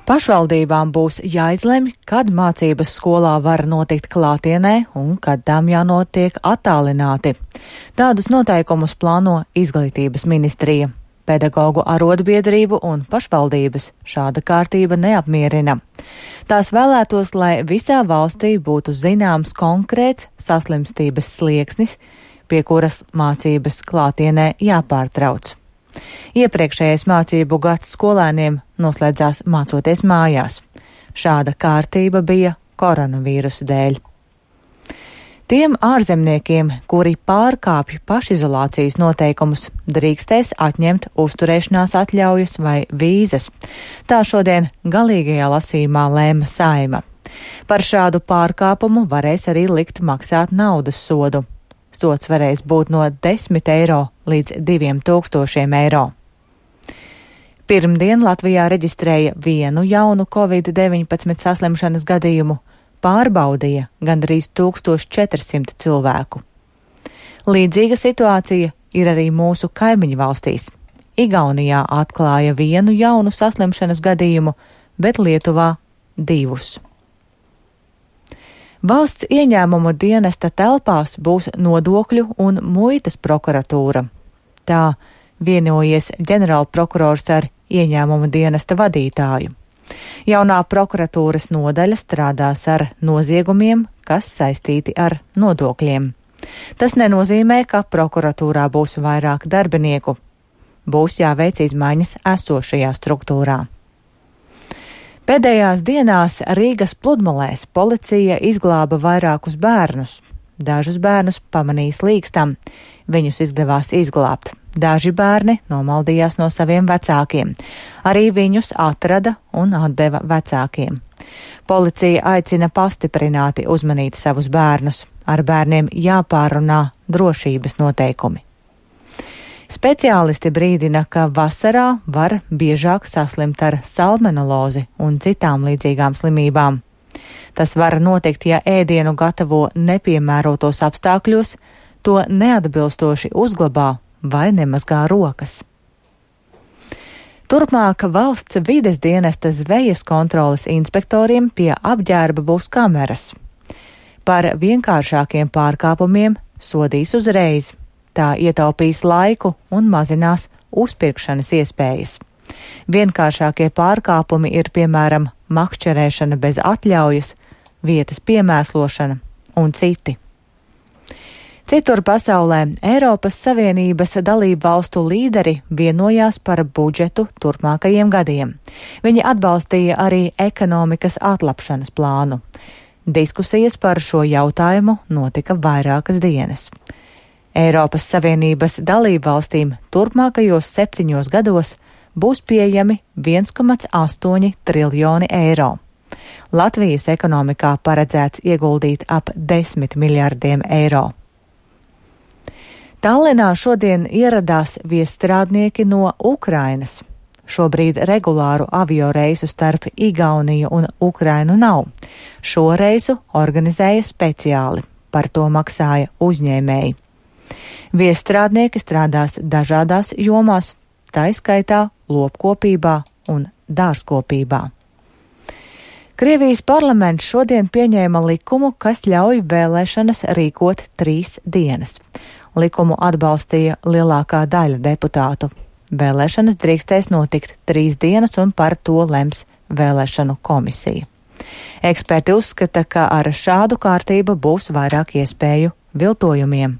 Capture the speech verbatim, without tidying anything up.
Pašvaldībām būs jāizlemj, kad mācības skolā var notikt klātienē un kad tām jānotiek attālināti. Tādus noteikumus plāno Izglītības ministrija. Pedagoģu arotbiedrību un pašvaldības šāda kārtība neapmierina. Tās vēlētos, lai visā valstī būtu zināms konkrēts saslimstības slieksnis, pie kuras mācības klātienē jāpārtrauc. Iepriekšējais mācību gads skolēniem noslēdzās mācoties mājās. Šāda kārtība bija koronavīrusa dēļ. Tiem ārzemniekiem, kuri pārkāpj pašizolācijas noteikumus, drīkstēs atņemt uzturēšanās atļaujas vai vīzas. Tā šodien galīgajā lasījumā lēma Saeima. Par šādu pārkāpumu varēs arī likt maksāt naudas sodu. Sods varēs būt no desmit eiro līdz diviem tūkstošiem eiro. Pirmdien Latvijā reģistrēja vienu jaunu covid deviņpadsmit saslimšanas gadījumu, pārbaudīja gandrīz tūkstoš četrsimt cilvēku. Līdzīga situācija ir arī mūsu kaimiņu valstīs. Igaunijā atklāja vienu jaunu saslimšanas gadījumu, bet Lietuvā divus. Valsts ieņēmumu dienesta telpās būs nodokļu un muitas prokuratūra. Tā vienojies ģenerālprokurors ar ieņēmumu dienesta vadītāju. Jaunā prokuratūras nodaļa strādās ar noziegumiem, kas saistīti ar nodokļiem. Tas nenozīmē, ka prokuratūrā būs vairāk darbinieku. Būs jāveic izmaiņas esošajā struktūrā. Pēdējās dienās Rīgas pludmalēs policija izglāba vairākus bērnus. Dažus bērnus pamanīja slīkstam. Viņus izdevās izglābt. Daži bērni nomaldījās no saviem vecākiem. Arī viņus atrada un atdeva vecākiem. Policija aicina pastiprināti uzmanīt savus bērnus. Ar bērniem jāpārunā drošības noteikumi. Speciālisti brīdina, ka vasarā var biežāk saslimt ar salmonellozi un citām līdzīgām slimībām. Tas var notikt, ja ēdienu gatavo nepiemērotos apstākļos, to neatbilstoši uzglabā vai nemazgā rokas. Turpmāk valsts vides dienesta zvejas kontroles inspektoriem pie apģērba būs kameras. Par vienkāršākiem pārkāpumiem sodīs uzreiz. Tā ietaupīs laiku un mazinās uzpirkšanas iespējas. Vienkāršākie pārkāpumi ir, piemēram, makšķerēšana bez atļaujas, vietas piemēslošana un citi. Citur pasaulē Eiropas Savienības dalību valstu līderi vienojās par budžetu turpmākajiem gadiem. Viņi atbalstīja arī ekonomikas atlapšanas plānu. Diskusijas par šo jautājumu notika vairākas dienas. Eiropas Savienības dalībvalstīm turpmākajos septiņos gados būs pieejami viens komats astoņi triljoni eiro. Latvijas ekonomikā paredzēts ieguldīt ap desmit miljardiem eiro. Tallinā šodien ieradās viesstrādnieki no Ukrainas. Šobrīd regulāru avioreisu starp Igauniju un Ukrainu nav. Šo reisu organizēja speciāli, par to maksāja uzņēmēji. Viesstrādnieki strādās dažādās jomās, tā izskaitā lopkopībā un dārzkopībā. Krievijas parlaments šodien pieņēma likumu, kas ļauj vēlēšanas rīkot trīs dienas. Likumu atbalstīja lielākā daļa deputātu. Vēlēšanas drīkstēs notikt trīs dienas un par to lems vēlēšanu komisija. Eksperti uzskata, ka ar šādu kārtību būs vairāk iespēju viltojumiem.